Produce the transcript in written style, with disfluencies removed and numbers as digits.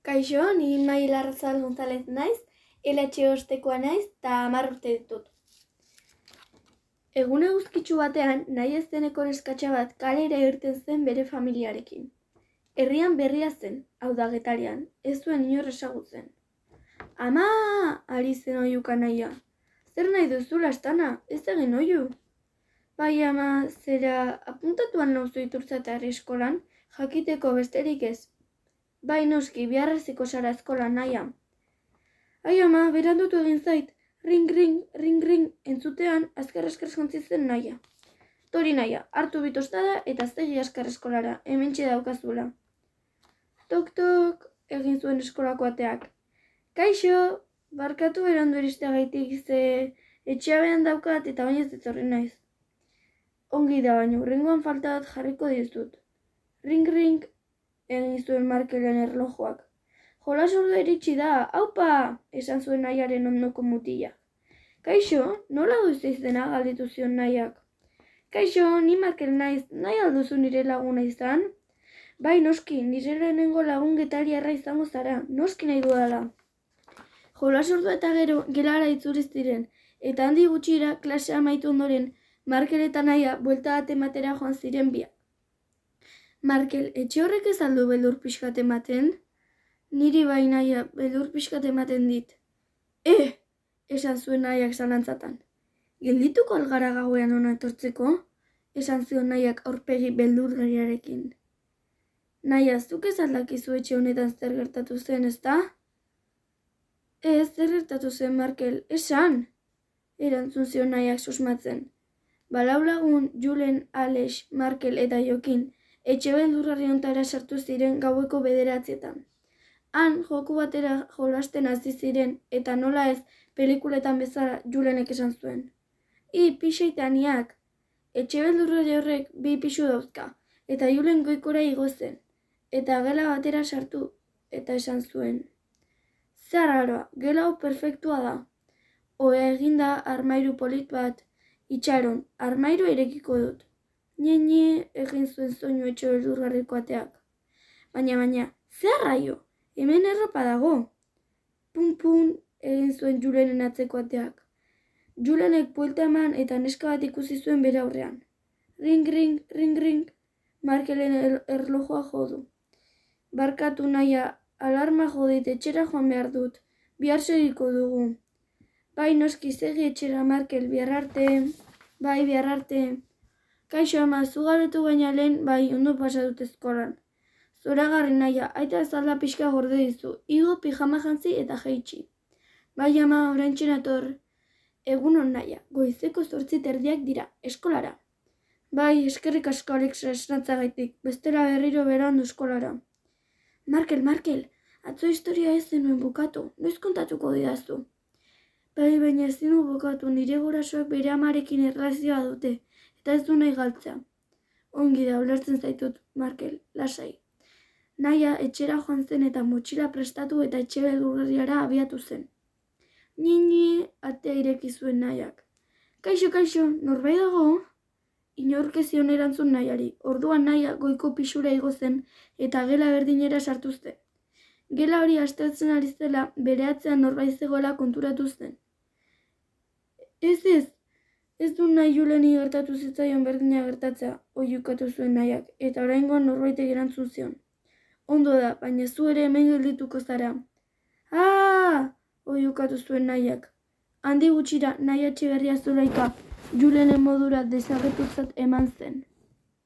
Kaixo, ni Mai Larrazabal González naiz, LH ostekoa naiz eta 10 urte ditut. Egun eguzkitsu batean, nahi ez zeneko neskatxa bat kalera irten zen bere familiarekin. Herrian berria zen, hau da Getarian, ez zuen inor ezagutzen. Ama! Ari zen oihuka nahia. Zer nahi duzu lastana, ez egin oihu. Bai ama, zera apuntatuan nauzu iturtzatarri eskolan, jakiteko besterik ez. Bai noski, biharraziko zara eskolan nahia. Ai ama, berandutu egin zait, ring, ring, ring, ring, entzutean azkar jontzi zen nahia. Tori nahia, hartu bitostada eta zegi askar eskolara, hementxe daukazula. Tok, tok, egin zuen eskolako ateak. Kaixo, barkatu berandu iristeagaitik ze etxeabean daukat eta bainez etorri naiz. Ongi da baino, rengoan falta bat jarriko dizut. Ring, ring, egin zuen Markelen erlojuak. Jolas ordua iritsi da, aupa, esan zuen nahiaren ondoko mutila. Kaixo, nola duzu izena galdetu zion nahiak. Kaixo, ni Markel naiz, nahi alduzu nire laguna izan? Bai noski, nire lehenengo lagun getariarra izango zara, noski nahi dudala. Jolas ordua eta gero gelara itzuri ziren, eta handi gutxira klasea amaitu ondoren, Markel eta nahia buelta bat ematera joan ziren biak. Markel, etxe horrek ez aldu beldur pixkat ematen? Niri bai nahia, beldur pixkat ematen dit. Esan zuen nahiak zalantzatan. Geldituko algara gauean ona etortzeko? Esan zion nahiak aurpegi beldurgariarekin. Nahia, zuk ez aldakizu etxe honetan zer gertatu zen, ezta? Ez, zer gertatu zen, Markel, esan! Erantzun zion nahiak susmatzen. Balau lagun, Julen, Alex, Markel eta Jokin, etxe beldurgarri ontara sartu ziren gaueko 9:00. Han, joku batera jolasten hasi ziren, eta nola ez, pelikuletan bezala Julenek esan zuen. Pixaitaniak! Etxe beldurgarri horrek 2 pisu dauzka, eta Julen goikora igo zen, eta gela batera sartu, eta esan zuen. Zer aroa, gela hau perfektua da. Oea eginda armairu polit bat, itxaron, armairu irekiko dut. Nie, egin zuen soinu etxe beldurgarriko ateak. Baina, zer raio? Hemen erropa dago. Pun, egin zuen Julenen atzeko ateak. Julenek buelta eman eta neska bat ikusi zuen bere aurrean. Ring, ring, ring, ring, Markelen erlojua jodu. Barkatu nahia, alarma jodit etxera joan behar dut. Bihar segiko dugu. Bai noski segi etxera Markel, bihar arte. Bai, bihar arte. Kaixo ama, zugabetu baina lehen, bai, ondo pasatut eskolan. Zoragarri nahia, aita azalda pixka gorde dizu, igo pijama jantzi eta jaitsi. Bai ama, oraintxe nator. Egunon nahia, goizeko 8:30 dira, eskolara. Bai, eskerrik asko Alexa esnatzagaitik, bestela berriro berandu eskolara. Markel, atzo historia ez zenuen bukatu, noiz kontatuko didazu. Bai, baina ezin du bukatu, nire gurasoak bere amarekin erlazioa dute. Eta ez du nahi galtzea. Ongi da, ulertzen zaitut, Markel, lasai. Nahia etxera joan zen eta motxila prestatu eta etxe beldurgarriara abiatu zen. Ni, atea ireki zuen nahiak. Kaixo, norbait dago? Inork ez zion erantzun nahiari, orduan nahia goiko pisura igo zen eta gela berdinera sartu zen. Gela hori aztertzen ari zela bere atzean norbait zegoela konturatu zen. Ez du nahi Juleni gertatu zitzaion berdina gertatzea, oihukatu zuen nahiak, eta oraingoan norbaitek erantzun zion. Ondo da, baina zu ere hemen geldituko zara. Oihukatu zuen nahiak. Handi gutxira nahi Etxeberria Zulaika Julenen modura desagertutzat eman zen.